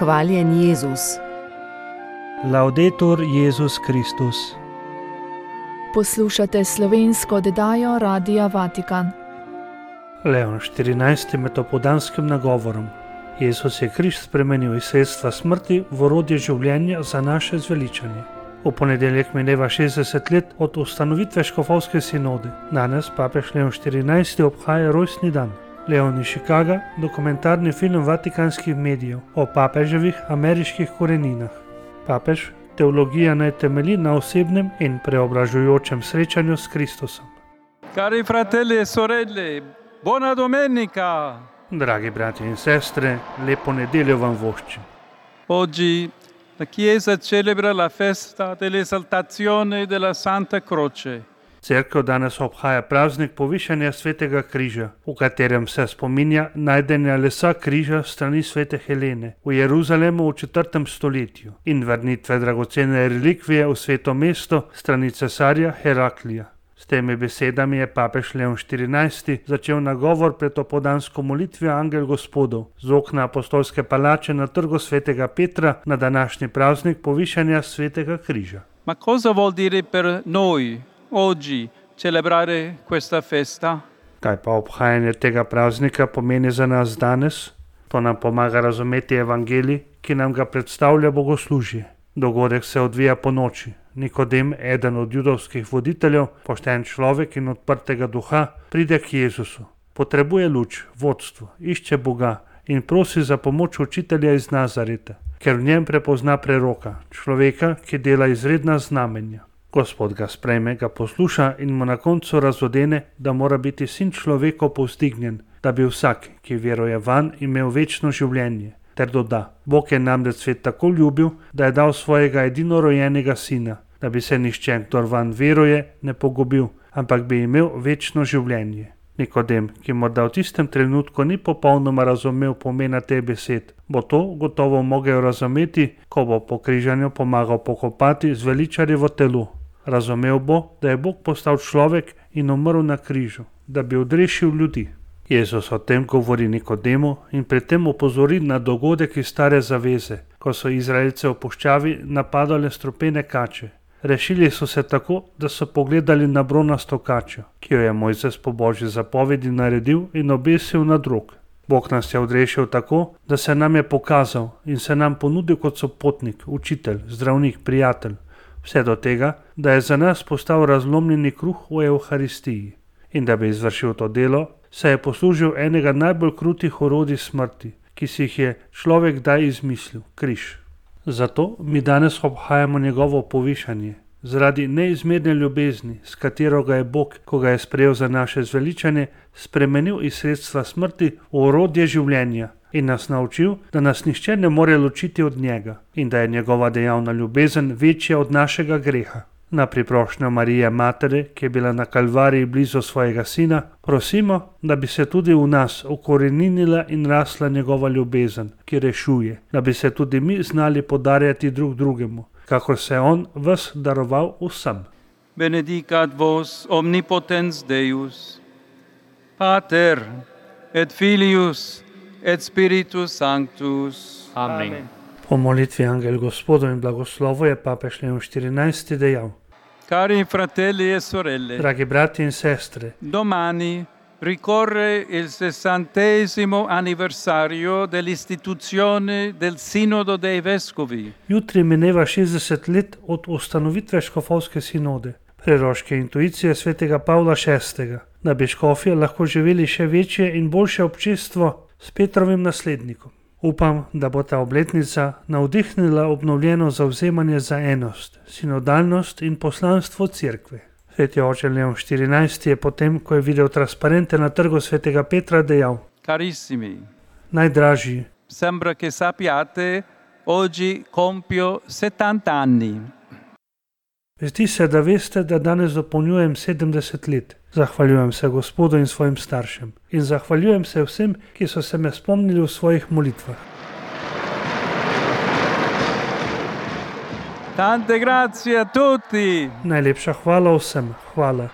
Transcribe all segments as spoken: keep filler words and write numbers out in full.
Hvaljen Jezus. Laudetur Jezus Kristus. Poslušate slovensko oddajo Radia Vatikan. Leon štirinajsti med opoldanskim nagovorom. Jezus je križ spremenil iz sredstva smrti v orodje življenja za naše zveličanje. V ponedeljek mineva šestdeset let od ustanovitve škofovske sinode. Danes papež Leon štirinajsti obhaja rojstni dan. Leon iz Chicaga, dokumentarni film vatikanskih medijev o papeževih ameriških koreninah. Papež, teologija naj temelji na osebnem in preobražujočem srečanju s Kristusom. Cari fratelli e sorelle, buona domenica! Dragi bratje in sestre, lepo nedeljo vam voščim. Oggi la Chiesa celebra la festa dell'esaltazione della Santa Croce. Cerkev danes obhaja praznik povišanja svetega križa, v katerem se spominja najdenja lesa križa strani svete Helene v Jeruzalemu v četrtem stoletju in vrnitve dragocene relikvije v sveto mesto strani cesarja Heraklija. S temi besedami je papež Leon štirinajsti začel nagovor pred opoldansko molitvijo Angel Gospodov z okna apostolske palače na trgu svetega Petra na današnji praznik povišanja svetega križa. Ma cosa vuol dire per noi oggi celebrare questa festa? Kaj pa obhajanje tega praznika pomeni za nas danes? To nam pomaga razumeti evangelij, ki nam ga predstavlja bogoslužje. Dogodek se odvija po noči. Nikodem, eden od judovskih voditeljev, pošten človek in odprtega duha, pride k Jezusu. Potrebuje luč, vodstvo, išče Boga in prosi za pomoč učitelja iz Nazareta, ker v njem prepozna preroka, človeka, ki dela izredna znamenja. Gospod ga sprejme, ga posluša in mu na koncu razodene, da mora biti sin človekov povzdignjen, da bi vsak, ki veruje vanj, imel večno življenje. Ter doda, Bog je namreč svet tako ljubil, da je dal svojega edinorojenega sina, da bi se nihče, kdor vanj veruje, ne pogubil, ampak bi imel večno življenje. Nikodem, ki morda v tistem trenutku ni popolnoma razumel pomena teh besed, bo to gotovo mogel razumeti, ko bo po križanju pomagal pokopati zveličarjevo telo. Razumel bo, da je Bog postal človek in umrl na križu, da bi odrešil ljudi. Jezus o tem govori Nikodemu in pri tem opozori na dogodek iz stare zaveze, ko so Izraelce v puščavi napadale strupene kače. Rešili so se tako, da so pogledali na bronasto kačo, ki jo je Mojzes po Božji zapovedi naredil in obesil na drog. Bog nas je odrešil tako, da se nam je pokazal in se nam ponudil kot sopotnik, učitelj, zdravnik, prijatelj. Vse do tega, da je za nas postal razlomljeni kruh v Evharistiji. In da bi izvršil to delo, se je poslužil enega najbolj krutih orodij smrti, ki si jih je človek kdaj izmislil, križ. Zato mi danes obhajamo njegovo povišanje, zaradi neizmerne ljubezni, s katero ga je Bog, ko ga je sprejel za naše zveličanje, spremenil iz sredstva smrti v orodje življenja in nas naučil, da nas nihče ne more ločiti od njega in da je njegova dejavna ljubezen večja od našega greha. Na priprošnjo Marije Matere, ki je bila na Kalvariji blizu svojega sina, prosimo, da bi se tudi v nas ukoreninila in rasla njegova ljubezen, ki rešuje, da bi se tudi mi znali podarjati drug drugemu, kakor se je on ves daroval vsem. Benedicat vos omnipotens Deus, Pater et Filius et Spiritus Sanctus. Amen. Amen. Po molitvi Angel Gospodov in blagoslovu je papež Leon štirinajsti dejal: Cari fratelli e sorelle, Dragi brati in sestre, domani ricorre il sessantesimo anniversario dell'istituzione del Sinodo dei Vescovi. jutri mineva šestdeset let od ustanovitve škofovske sinode, preroške intuicije svetega Pavla šestega, da bi škofje lahko živeli še večje in boljše občestvo s Petrovim naslednikom. Upam, da bo ta obletnica navdihnila obnovljeno zavzemanje za enost, sinodalnost in poslanstvo cerkve. Sveti oče Leon štirinajsti je potem, ko je videl transparente na trgu svetega Petra, dejal: Carissimi, Najdražji, sembra che sappiate, oggi compio settanta anni. zdi se, da veste, da danes dopolnjujem sedemdeset let. Zahvaljujem se Gospodu in svojim staršem in zahvaljujem se vsem, ki so se me spomnili v svojih molitvah. Tante grazie a tutti. Najlepša hvala vsem, hvala.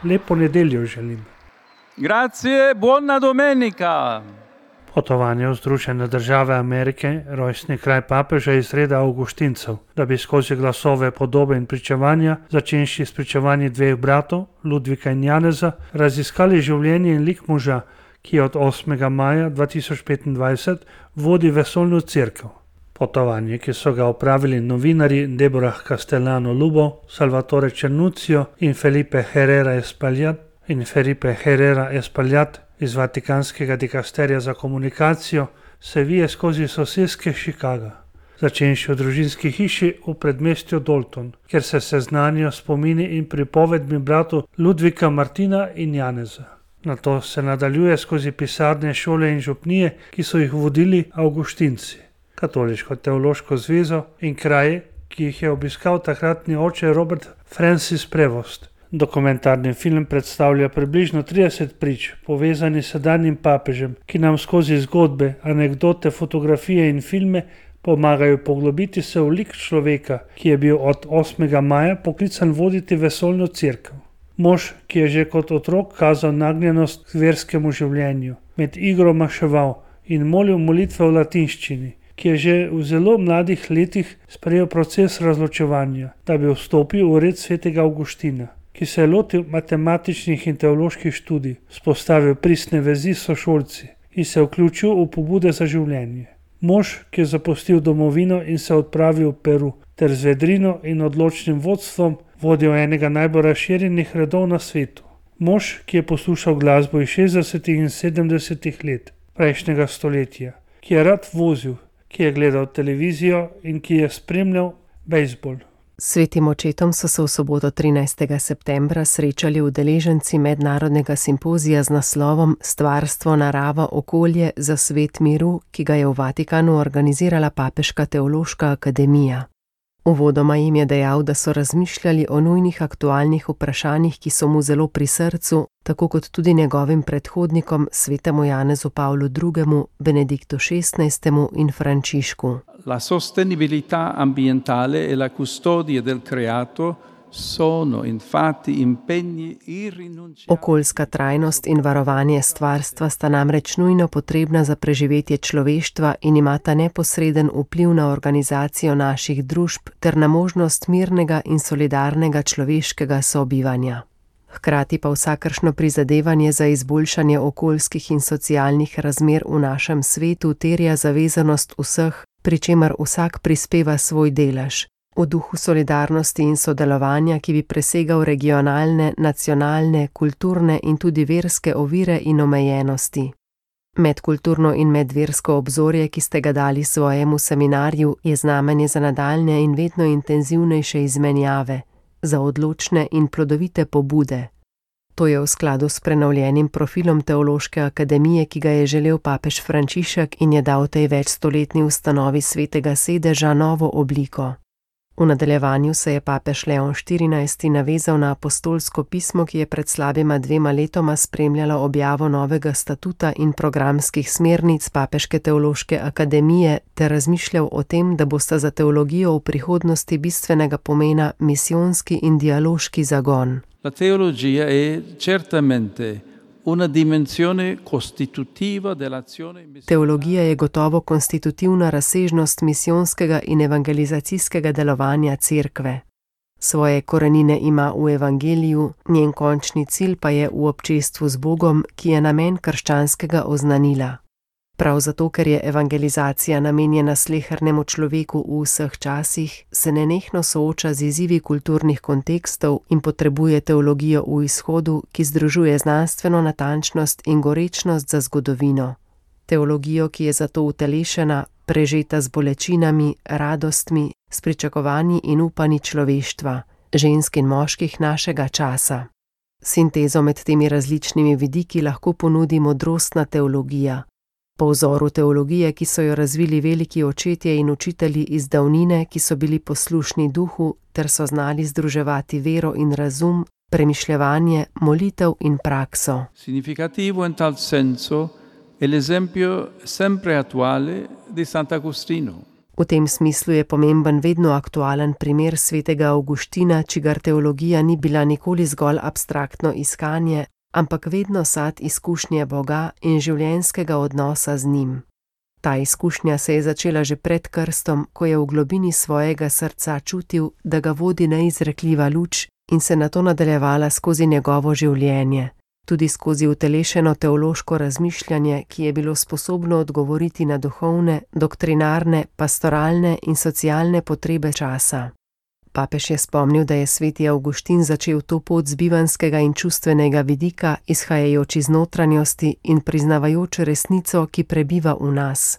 Lepo nedeljo želim. Grazie, buona domenica. Potovanje v Združene države Amerike, rojstni kraj papeža iz reda Avguštincev, da bi skozi glasove, podobe in pričevanja, začenši s pričevanji dveh bratov, Ludvika in Janeza, raziskali življenje in lik moža, ki od osmega maja dva tisoč petindvajset vodi vesoljno cerkev. Potovanje, ki so ga opravili novinarji Deborah Castellano Lubo, Salvatore Cernuccio in Felipe Herrera Espaillat in Felipe Herrera Espaillat iz Vatikanskega dikasterija za komunikacijo, se vije skozi soseske Chicaga, začenši v družinski hiši v predmestju Dalton, kjer se seznanijo spomini in pripovedmi bratov Ludvika, Martina in Janeza. Nato se nadaljuje skozi pisarne, šole in župnije, ki so jih vodili Avguštinci, Katoliško teološko zvezo in kraje, ki jih je obiskal takratni oče Robert Francis Prevost. Dokumentarni film predstavlja približno trideset prič, povezanih s sedanjim papežem, ki nam skozi zgodbe, anekdote, fotografije in filme pomagajo poglobiti se v lik človeka, ki je bil od osmega maja poklican voditi vesoljno cerkev. Mož, ki je že kot otrok kazal nagnjenost k verskemu življenju, med igro maševal in molil molitve v latinščini, ki je že v zelo mladih letih sprejel proces razločevanja, da bi vstopil v red svetega Avguština, ki se je lotil matematičnih in teoloških študij, vzpostavil pristne vezi s sošolci in se vključil v pobude za življenje. Mož, ki je zapustil domovino in se odpravil v Peru, ter z vedrino in odločnim vodstvom vodil enega najbolj razširjenih redov na svetu. Mož, ki je poslušal glasbo iz šestdesetih in sedemdesetih let prejšnjega stoletja, ki je rad vozil, ki je gledal televizijo in ki je spremljal bejzbol. Svetim očetom so se v soboto trinajstega septembra srečali udeleženci mednarodnega simpozija z naslovom Stvarstvo, narava, okolje za svet miru, ki ga je v Vatikanu organizirala Papeška teološka akademija. Uvodoma jim je dejal, da so razmišljali o nujnih aktualnih vprašanjih, ki so mu zelo pri srcu, tako kot tudi njegovim predhodnikom, svetemu Janezu Pavlu drugemu, Benediktu šestnajstemu in Frančišku. La sostenibilità ambientale e la custodia del creato sono infatti impegni irrinunciabili. Okoljska trajnost in varovanje stvarstva sta namreč nujno potrebna za preživetje človeštva in imata neposreden vpliv na organizacijo naših družb ter na možnost mirnega in solidarnega človeškega sobivanja. Hkrati pa vsakršno prizadevanje za izboljšanje okoljskih in socialnih razmer v našem svetu terja zavezanost vseh, pri čemer vsak prispeva svoj delež, v duhu solidarnosti in sodelovanja, ki bi presegal regionalne, nacionalne, kulturne in tudi verske ovire in omejenosti. Medkulturno in medversko obzorje, ki ste ga dali svojemu seminarju, je znamenje za nadaljne in vedno intenzivnejše izmenjave, za odločne in plodovite pobude. To je v skladu s prenovljenim profilom Teološke akademije, ki ga je želel papež Frančišek in je dal tej večstoletni ustanovi svetega sedeža novo obliko. V nadaljevanju se je papež Leon štirinajsti navezal na apostolsko pismo, ki je pred slabima dvema letoma spremljalo objavo novega statuta in programskih smernic Papeške teološke akademije ter razmišljal o tem, da bosta za teologijo v prihodnosti bistvenega pomena misijonski in dialoški zagon. La teologia è certamente una dimensione costitutiva dell'azione missionaria. Teologija je gotovo konstitutivna razsežnost misijonskega in evangelizacijskega delovanja cerkve. Svoje korenine ima v evangeliju, njen končni cilj pa je v občestvu z Bogom, ki je namen krščanskega oznanila. Prav zato, ker je evangelizacija namenjena slehernemu človeku v vseh časih, se nenehno sooča z izzivi kulturnih kontekstov in potrebuje teologijo v izhodu, ki združuje znanstveno natančnost in gorečnost za zgodovino. Teologijo, ki je zato utelešena, prežeta z bolečinami, radostmi, s pričakovanji in upanji človeštva, žensk in moških našega časa. Sintezo med temi različnimi vidiki lahko ponudi modrostna teologija. Po vzoru teologije, ki so jo razvili veliki očetje in učitelji iz davnine, ki so bili poslušni duhu ter so znali združevati vero in razum, premišljevanje, molitev in prakso. Significativo in tal senso è l'esempio sempre attuale di Sant'Agostino. V tem smislu je pomemben vedno aktualen primer svetega Avguština, čigar teologija ni bila nikoli zgolj abstraktno iskanje, ampak vedno sad izkušnje Boga in življenjskega odnosa z njim. Ta izkušnja se je začela že pred krstom, ko je v globini svojega srca čutil, da ga vodi neizrekljiva luč in se nato nadaljevala skozi njegovo življenje, tudi skozi utelešeno teološko razmišljanje, ki je bilo sposobno odgovoriti na duhovne, doktrinarne, pastoralne in socialne potrebe časa. Papež je spomnil, da je sveti Avguštin začel to pot z bivanjskega in čustvenega vidika, izhajajoč iz notranjosti in priznavajoč resnico, ki prebiva v nas.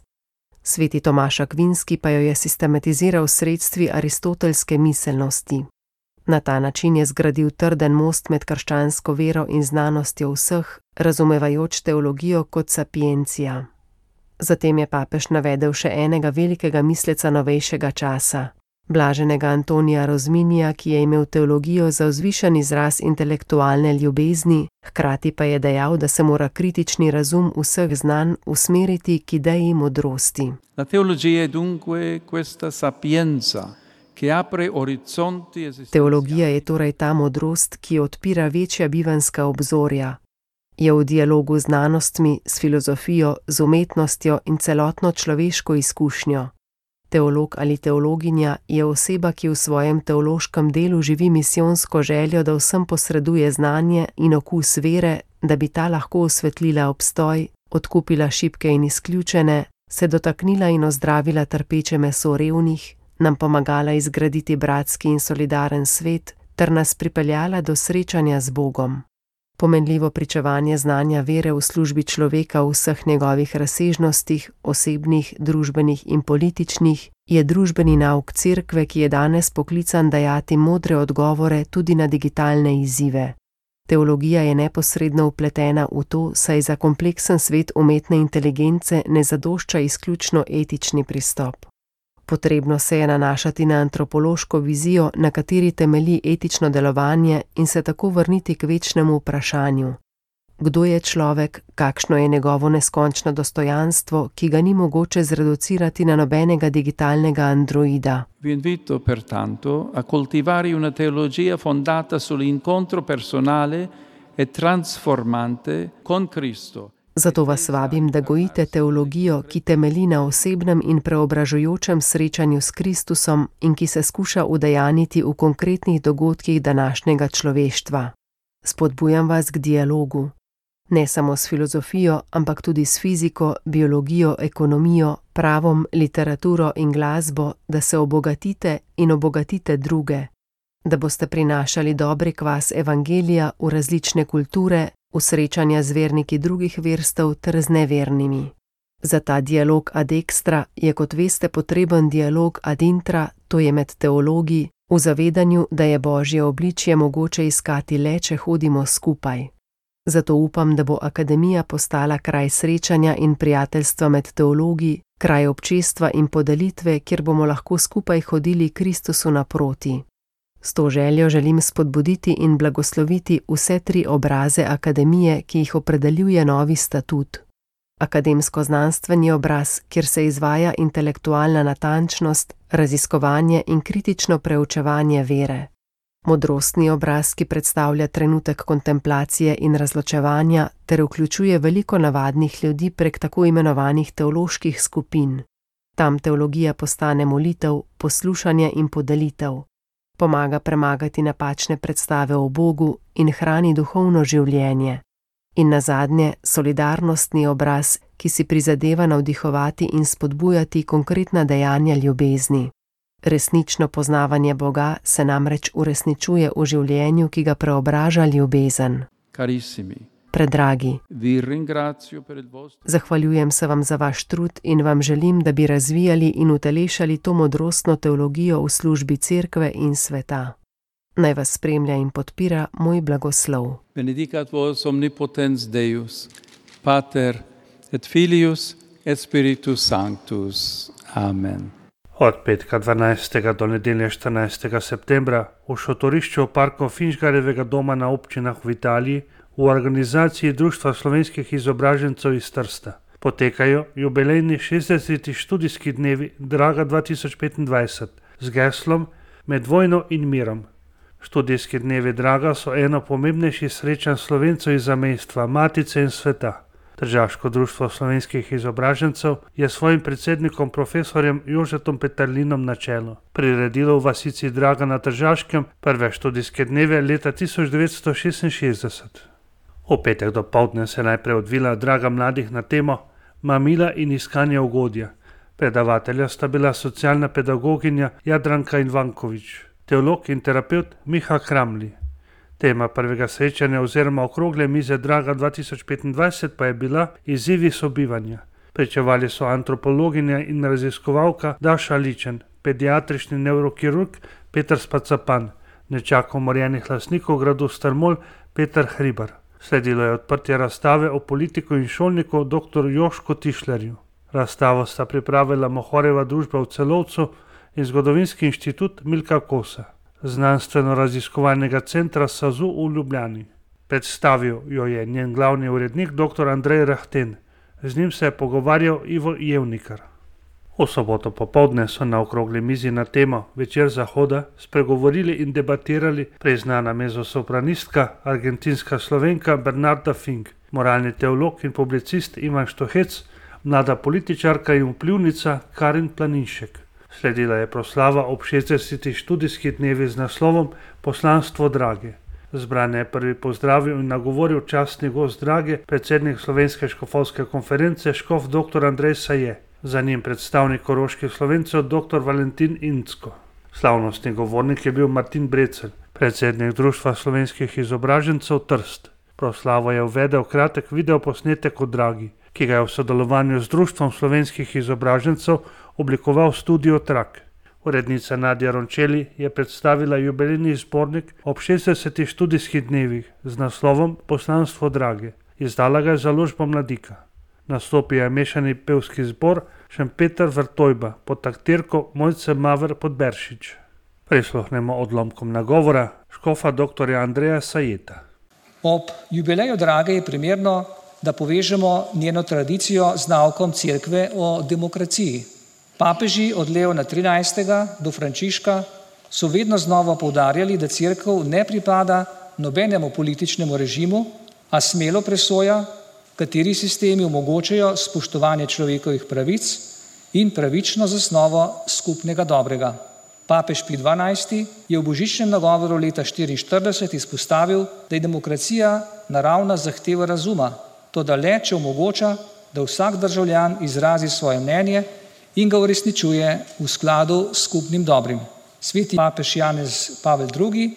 Sveti Tomaž Akvinski pa jo je sistematiziral s sredstvi aristotelske miselnosti. Na ta način je zgradil trden most med krščansko vero in znanostjo vseh, razumevajoč teologijo kot sapiencija. Zatem je papež navedel še enega velikega misleca novejšega časa, blaženega Antonija Rozminija, ki je imel teologijo za vzvišen izraz intelektualne ljubezni, hkrati pa je dejal, da se mora kritični razum vseh znanj usmeriti k ideji modrosti. La teologia è dunque questa sapienza che apre orizzonti esistenziali. Teologija je torej ta modrost, ki odpira večja bivanjska obzorja. Je v dialogu z znanostmi, s filozofijo, z umetnostjo in celotno človeško izkušnjo. Teolog ali teologinja je oseba, ki v svojem teološkem delu živi misijonsko željo, da vsem posreduje znanje in okus vere, da bi ta lahko osvetlila obstoj, odkupila šibke in izključene, se dotaknila in ozdravila trpeče meso revnih, nam pomagala izgraditi bratski in solidaren svet ter nas pripeljala do srečanja z Bogom. Pomenljivo pričevanje znanja vere v službi človeka v vseh njegovih razsežnostih, osebnih, družbenih in političnih, je družbeni nauk cerkve, ki je danes poklican dajati modre odgovore tudi na digitalne izzive. Teologija je neposredno vpletena v to, saj za kompleksen svet umetne inteligence ne zadošča izključno etični pristop. Potrebno se je nanašati na antropološko vizijo, na kateri temelji etično delovanje in se tako vrniti k večnemu vprašanju. Kdo je človek, kakšno je njegovo neskončno dostojanstvo, ki ga ni mogoče zreducirati na nobenega digitalnega androida? Vi invito pertanto a coltivare una teologia fondata sull'incontro personale e transformante con Cristo. Zato vas vabim, da gojite teologijo, ki temelji na osebnem in preobražujočem srečanju s Kristusom in ki se skuša udejaniti v konkretnih dogodkih današnjega človeštva. Spodbujam vas k dialogu. Ne samo s filozofijo, ampak tudi s fiziko, biologijo, ekonomijo, pravom, literaturo in glasbo, da se obogatite in obogatite druge. Da boste prinašali dobri kvas evangelija v različne kulture, v srečanja z verniki drugih verstev ter z nevernimi. Za ta dialog ad extra je, kot veste, potreben dialog ad intra, to je med teologi, v zavedanju, da je Božje obličje mogoče iskati le, če hodimo skupaj. Zato upam, da bo akademija postala kraj srečanja in prijateljstva med teologi, kraj občestva in podelitve, kjer bomo lahko skupaj hodili Kristusu naproti. S to željo želim spodbuditi in blagosloviti vse tri obraze akademije, ki jih opredeljuje novi statut. Akademsko-znanstveni obraz, kjer se izvaja intelektualna natančnost, raziskovanje in kritično preučevanje vere. Modrostni obraz, ki predstavlja trenutek kontemplacije in razločevanja ter vključuje veliko navadnih ljudi prek tako imenovanih teoloških skupin. Tam teologija postane molitev, poslušanje in podelitev. Pomaga premagati napačne predstave o Bogu in hrani duhovno življenje. In nazadnje, solidarnostni obraz, ki si prizadeva navdihovati in spodbujati konkretna dejanja ljubezni. Resnično poznavanje Boga se namreč uresničuje v življenju, ki ga preobraža ljubezen. Carissimi, Predragi, vi ringrazio per il vostro... zahvaljujem se vam za vaš trud in vam želim, da bi razvijali in utelešali to modrostno teologijo v službi cerkve in sveta. Naj vas spremlja in podpira moj blagoslov. Benedicat vos omnipotens Deus, Pater et Filius et Spiritus Sanctus. Amen. Od petka dvanajstega do nedelje štirinajstega septembra v šotorišču parkov Finžgarjevega doma na občinah v Italiji v organizaciji Društva slovenskih izobražencev iz Trsta potekajo jubilejni šestdeseti študijski dnevi Draga dva tisoč petindvajset z geslom Med vojno in mirom. Študijski dnevi Draga so eno pomembnejših srečanj Slovencev iz zamejstva, matice in sveta. Tržaško društvo slovenskih izobražencev je svojim predsednikom profesorjem Jožetom Peterlinom na čelu priredilo v vasici Draga na Tržaškem prve študijske dneve leta tisoč devetsto šestinšestdeset. V petek dopoldne se je najprej odvila Draga mladih na temo Mamila in iskanje ugodja. Predavatelja sta bila socialna pedagoginja Jadranka Ivankovič, teolog in terapevt Miha Kramli. Tema prvega srečanja oziroma okrogle mize Draga dva tisoč petindvajset pa je bila izzivi sobivanja. Pričevali so antropologinja in raziskovalka Daša Ličen, pediatrični nevrokirurg Peter Spacapan, nečak umorjenih lastnikov gradu Strmol Peter Hribar. Sledilo je odprtje razstave o politiku in šolniku dr. Jožku Tišlerju. Razstavo sta pripravila Mohorjeva družba v Celovcu in Zgodovinski inštitut Milka Kosa, znanstveno-raziskovalnega centra SAZU v Ljubljani. Predstavil jo je njen glavni urednik dr. Andrej Rahten. Z njim se je pogovarjal Ivo Jevnikar. V soboto popoldne so na okrogli mizi na temo Večer zahoda spregovorili in debatirali priznana mezzosopranistka, argentinska Slovenka Bernarda Fink, moralni teolog in publicist Ivan Štohec, mlada političarka in vplivnica Karin Planinšek. Sledila je proslava ob šestdesetih študijskih dnevih z naslovom Poslanstvo Drage. Zbrane je prvi pozdravil in nagovoril častni gost Drage, predsednik Slovenske škofovske konference škof dr. Andrej Saje. Za njim predstavnik koroških Slovencev dr. Valentin Incko. Slavnostni govornik je bil Martin Brecelj, predsednik Društva slovenskih izobražencev Trst. Proslavo je uvedel kratek videoposnetek o Dragi, ki ga je v sodelovanju z Društvom slovenskih izobražencev oblikoval Studio Trak. Urednica Nadja Rončeli je predstavila jubilejni zbornik ob šestdesetih študijskih dnevih z naslovom Poslanstvo Drage. Izdala ga je založba Mladika. Nastopil je mešani pevski zbor Šempeter Vrtojba pod taktirko Mojce Maver Podberšič. Prisluhnemo odlomkom nagovora škofa dr. Andreja Sajeta. Ob jubileju Drage je primerno, da povežemo njeno tradicijo z naukom Cerkve o demokraciji. Papeži od Leona trinajstega do Frančiška so vedno znova poudarjali, da Cerkev ne pripada nobenemu političnemu režimu, a smelo presoja, kateri sistemi omogočajo spoštovanje človekovih pravic in pravično zasnovo skupnega dobrega. Papež Pij dvanajsti je v božičnem nagovoru leta štiriinštirideset izpostavil, da je demokracija naravna zahteva razuma, toda le, če omogoča, da vsak državljan izrazi svoje mnenje in ga uresničuje v skladu s skupnim dobrim. Sveti papež Janez Pavel drugi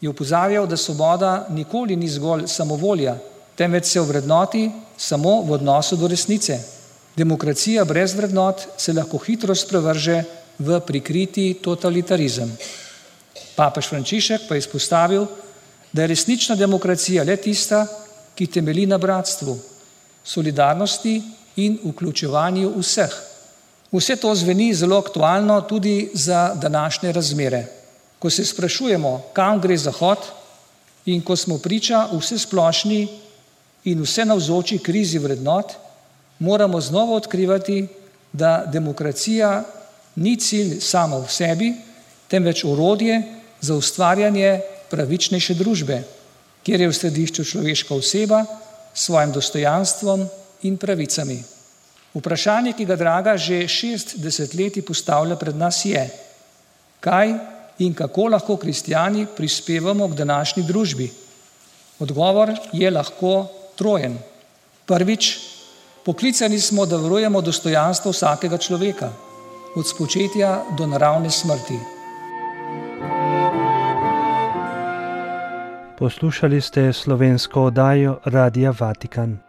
je opozarjal, da svoboda nikoli ni zgolj samovolja, temveč se ovrednoti samo v odnosu do resnice. Demokracija brez vrednot se lahko hitro sprevrže v prikriti totalitarizem. Papež Frančišek pa je izpostavil, da je resnična demokracija le tista, ki temelji na bratstvu, solidarnosti in vključevanju vseh. Vse to zveni zelo aktualno tudi za današnje razmere. Ko se sprašujemo, kam gre Zahod, in ko smo priča vsesplošni in vse navzoči krizi vrednot, moramo znova odkrivati, da demokracija ni cilj sama v sebi, temveč orodje za ustvarjanje pravičnejše družbe, kjer je v središču človeška oseba s svojim dostojanstvom in pravicami. Vprašanje, ki ga Draga že šest desetletij postavlja pred nas je, kaj in kako lahko kristjani prispevamo k današnji družbi. Odgovor je lahko trojen. Prvič, poklicani smo, da varujemo dostojanstvo vsakega človeka, od spočetja do naravne smrti. Poslušali ste slovensko oddajo Radia Vatikan.